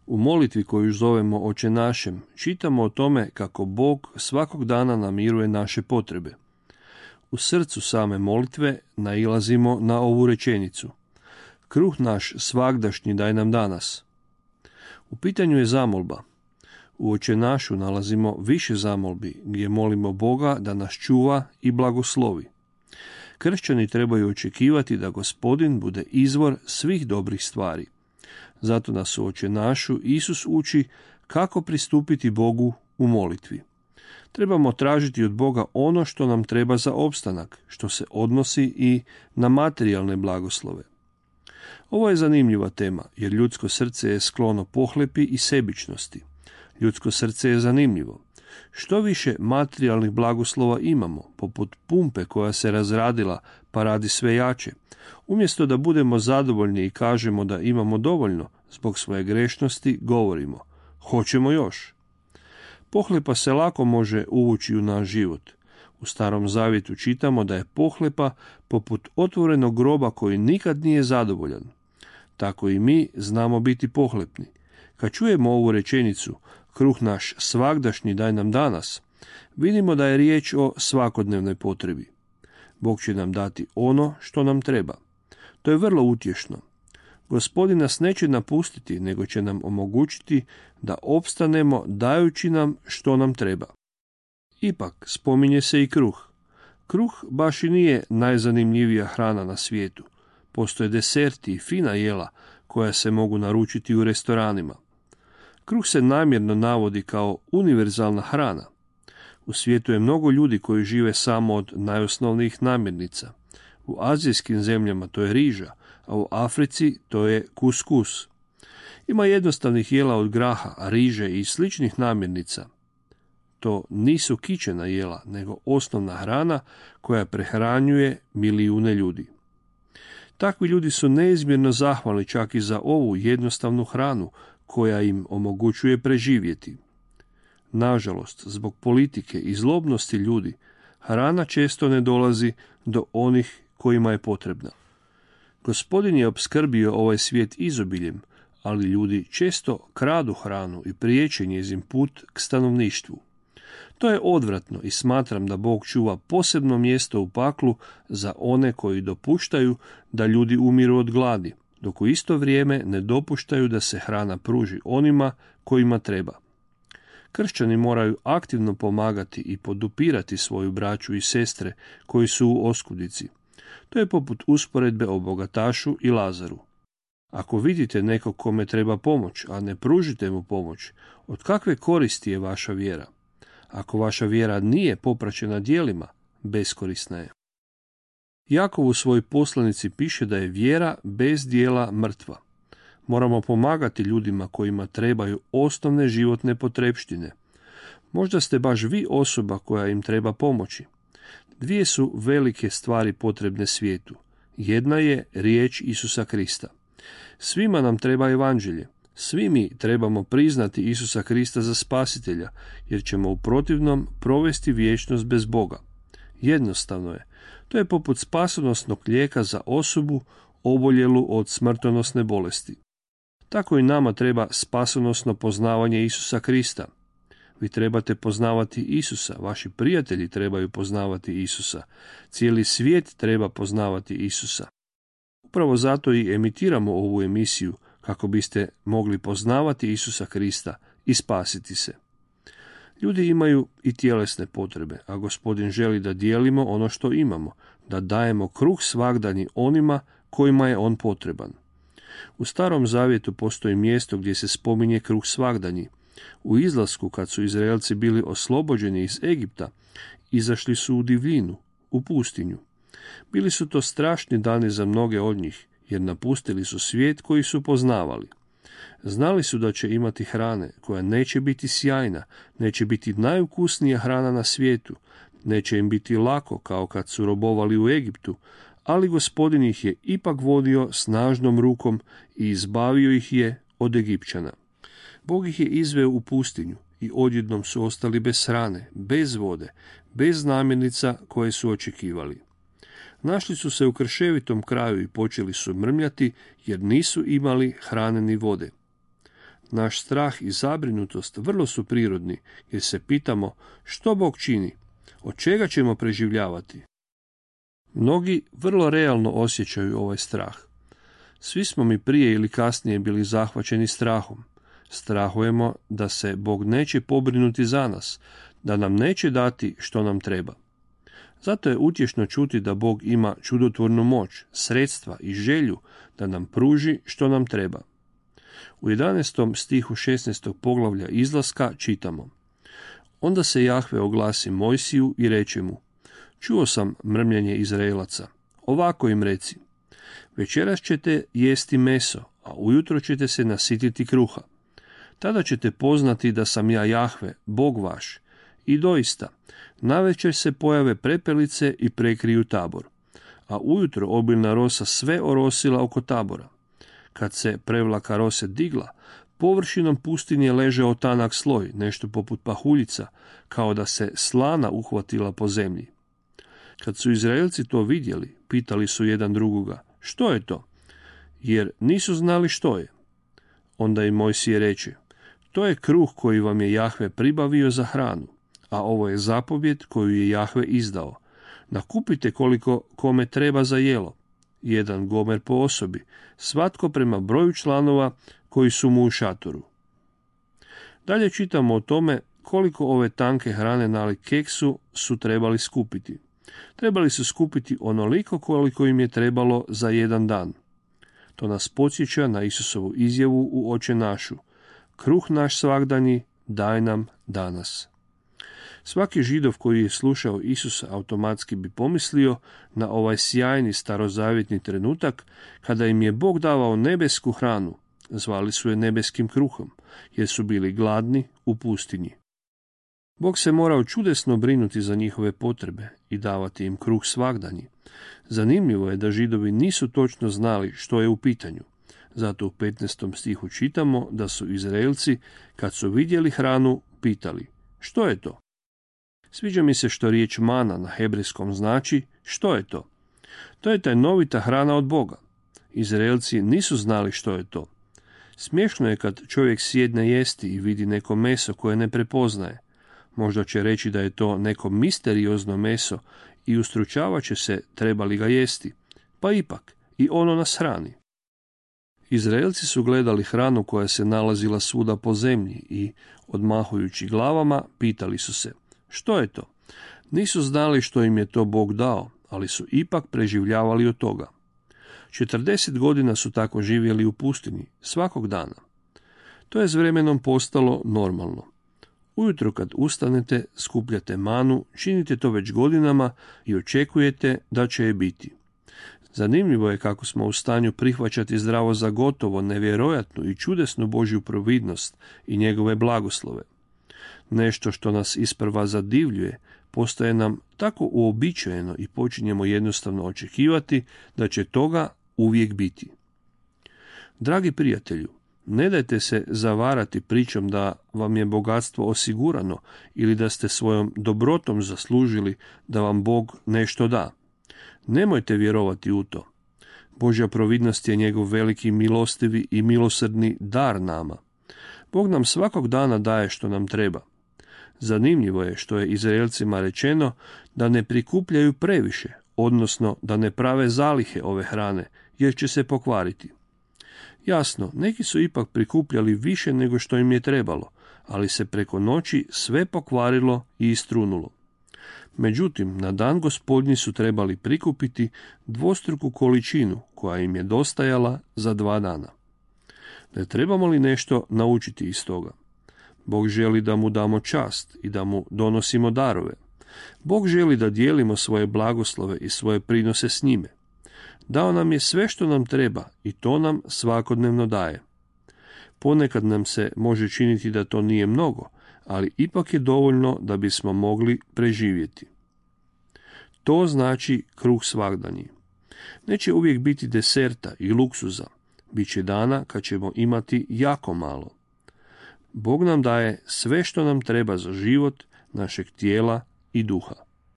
U molitvi koju zovemo Oče našem, čitamo o tome kako Bog svakog dana namiruje naše potrebe. U srcu same molitve nailazimo na ovu rečenicu: Kruh naš svagdašnji daj nam danas. U pitanju je zamolba. U Oče našu nalazimo više zamolbi gdje molimo Boga da nas čuva i blagoslovi. Kršćani trebaju očekivati da Gospodin bude izvor svih dobrih stvari. Zato nas u Oče našu Isus uči kako pristupiti Bogu u molitvi. Trebamo tražiti od Boga ono što nam treba za opstanak, što se odnosi i na materijalne blagoslove. Ovo je zanimljiva tema, jer ljudsko srce je sklono pohlepi i sebičnosti. Ljudsko srce je zanimljivo. Što više materijalnih blagoslova imamo, poput pumpe koja se razradila pa radi sve jače, umjesto da budemo zadovoljni i kažemo da imamo dovoljno, zbog svoje grešnosti govorimo: hoćemo još. Pohlepa se lako može uvući u naš život. U Starom Zavjetu čitamo da je pohlepa poput otvorenog groba koji nikad nije zadovoljan. Tako i mi znamo biti pohlepni. Kad čujemo ovu rečenicu, kruh naš svagdašnji daj nam danas, vidimo da je riječ o svakodnevnoj potrebi. Bog će nam dati ono što nam treba. To je vrlo utješno. Gospodin nas neće napustiti, nego će nam omogućiti da opstanemo dajući nam što nam treba. Ipak, spominje se i kruh. Kruh baš i nije najzanimljivija hrana na svijetu. Postoje deserti i fina jela koja se mogu naručiti u restoranima. Kruh se namjerno navodi kao univerzalna hrana. U svijetu je mnogo ljudi koji žive samo od najosnovnijih namirnica. U azijskim zemljama to je riža, a u Africi to je kuskus. Ima jednostavnih jela od graha, riže i sličnih namirnica. To nisu kićena jela, nego osnovna hrana koja prehranjuje milijune ljudi. Takvi ljudi su neizmjerno zahvalni čak i za ovu jednostavnu hranu koja im omogućuje preživjeti. Nažalost, zbog politike i zlobnosti ljudi, hrana često ne dolazi do onih kojima je potrebna. Gospodin je opskrbio ovaj svijet izobiljem, ali ljudi često kradu hranu i priječe njezin put k stanovništvu. To je odvratno i smatram da Bog čuva posebno mjesto u paklu za one koji dopuštaju da ljudi umiru od gladi, dok u isto vrijeme ne dopuštaju da se hrana pruži onima kojima treba. Kršćani moraju aktivno pomagati i podupirati svoju braću i sestre koji su u oskudici. To je poput usporedbe o bogatašu i Lazaru. Ako vidite nekog kome treba pomoć, a ne pružite mu pomoć, od kakve koristi je vaša vjera? Ako vaša vjera nije popraćena djelima, beskorisna je. Jakov u svojoj poslanici piše da je vjera bez djela mrtva. Moramo pomagati ljudima kojima trebaju osnovne životne potrepštine. Možda ste baš vi osoba koja im treba pomoći. Dvije su velike stvari potrebne svijetu. Jedna je riječ Isusa Krista. Svima nam treba evanđelje. Svi mi trebamo priznati Isusa Krista za spasitelja, jer ćemo u protivnom provesti vječnost bez Boga. Jednostavno je. To je poput spasonosnog lijeka za osobu oboljelu od smrtonosne bolesti. Tako i nama treba spasonosno poznavanje Isusa Krista. Vi trebate poznavati Isusa, vaši prijatelji trebaju poznavati Isusa, cijeli svijet treba poznavati Isusa. Upravo zato i emitiramo ovu emisiju, kako biste mogli poznavati Isusa Krista i spasiti se. Ljudi imaju i tjelesne potrebe, a Gospodin želi da dijelimo ono što imamo, da dajemo kruh svagdanji onima kojima je on potreban. U Starom Zavjetu postoji mjesto gdje se spominje kruh svagdanji. U izlasku, kad su Izraelci bili oslobođeni iz Egipta, izašli su u divljinu, u pustinju. Bili su to strašni dani za mnoge od njih, jer napustili su svijet koji su poznavali. Znali su da će imati hrane koja neće biti sjajna, neće biti najukusnija hrana na svijetu, neće im biti lako kao kad su robovali u Egiptu, ali Gospodin ih je ipak vodio snažnom rukom i izbavio ih je od Egipćana. Bog ih je izveo u pustinju i odjednom su ostali bez hrane, bez vode, bez namirnica koje su očekivali. Našli su se u krševitom kraju i počeli su mrmljati jer nisu imali hrane ni vode. Naš strah i zabrinutost vrlo su prirodni, jer se pitamo što Bog čini, od čega ćemo preživljavati. Mnogi vrlo realno osjećaju ovaj strah. Svi smo mi prije ili kasnije bili zahvaćeni strahom. Strahujemo da se Bog neće pobrinuti za nas, da nam neće dati što nam treba. Zato je utješno čuti da Bog ima čudotvornu moć, sredstva i želju da nam pruži što nam treba. U 11. stihu 16. poglavlja Izlaska čitamo: Onda se Jahve oglasi Mojsiju i reče mu: Čuo sam mrmljenje Izraelaca. Ovako im reci: Večeras ćete jesti meso, a ujutro ćete se nasititi kruha. Tada ćete poznati da sam ja Jahve, Bog vaš. I doista, navečer se pojave prepelice i prekriju tabor, a ujutro obilna rosa sve orosila oko tabora. Kad se prevlaka rose digla, površinom pustinje ležao tanak sloj, nešto poput pahuljica, kao da se slana uhvatila po zemlji. Kad su Izraelci to vidjeli, pitali su jedan drugoga: Što je to? Jer nisu znali što je. Onda im Mojsije reče: To je kruh koji vam je Jahve pribavio za hranu, a ovo je zapovjed koju je Jahve izdao. Nakupite koliko kome treba za jelo, 1 gomer po osobi, svatko prema broju članova koji su mu u šatoru. Dalje čitamo o tome koliko ove tanke hrane nalik keksu su trebali skupiti. Trebali su skupiti onoliko koliko im je trebalo za jedan dan. To nas podsjeća na Isusovu izjavu u Oče našu: Kruh naš svagdanji daj nam danas. Svaki Židov koji je slušao Isusa automatski bi pomislio na ovaj sjajni starozavjetni trenutak kada im je Bog davao nebesku hranu. Zvali su je nebeskim kruhom, jer su bili gladni u pustinji. Bog se morao čudesno brinuti za njihove potrebe i davati im kruh svagdanji. Zanimljivo je da Židovi nisu točno znali što je u pitanju. Zato u 15. stihu čitamo da su Izraelci, kad su vidjeli hranu, pitali: Što je to? Sviđa mi se što riječ mana na hebrejskom znači što je to. To je tajnovita hrana od Boga. Izraelci nisu znali što je to. Smiješno je kad čovjek sjedne jesti i vidi neko meso koje ne prepoznaje. Možda će reći da je to neko misteriozno meso i ustručavat će se treba li ga jesti. Pa ipak, i ono nas hrani. Izraelci su gledali hranu koja se nalazila svuda po zemlji i, odmahujući glavama, pitali su se: Što je to? Nisu znali što im je to Bog dao, ali su ipak preživljavali od toga. 40 godina su tako živjeli u pustinji, svakog dana. To je s vremenom postalo normalno. Ujutro kad ustanete, skupljate manu, činite to već godinama i očekujete da će je biti. Zanimljivo je kako smo u stanju prihvaćati zdravo za gotovo nevjerojatnu i čudesnu Božju providnost i njegove blagoslove. Nešto što nas isprva zadivljuje postaje nam tako uobičajeno i počinjemo jednostavno očekivati da će toga uvijek biti. Dragi prijatelju, ne dajte se zavarati pričom da vam je bogatstvo osigurano ili da ste svojom dobrotom zaslužili da vam Bog nešto da. Nemojte vjerovati u to. Božja providnost je njegov veliki milostivi i milosrdni dar nama. Bog nam svakog dana daje što nam treba. Zanimljivo je što je Izraelcima rečeno da ne prikupljaju previše, odnosno da ne prave zalihe ove hrane, jer će se pokvariti. Jasno, neki su ipak prikupljali više nego što im je trebalo, ali se preko noći sve pokvarilo i istrunulo. Međutim, na dan Gospodnji su trebali prikupiti dvostruku količinu koja im je dostajala za 2 dana. Ne trebamo li nešto naučiti iz toga? Bog želi da mu damo čast i da mu donosimo darove. Bog želi da dijelimo svoje blagoslove i svoje prinose s njime. Dao nam je sve što nam treba i to nam svakodnevno daje. Ponekad nam se može činiti da to nije mnogo, ali ipak je dovoljno da bismo mogli preživjeti. To znači kruh svagdanji. Neće uvijek biti deserta i luksuza. Biće dana kad ćemo imati jako malo. Bog nam daje sve što nam treba za život našeg tijela i duha.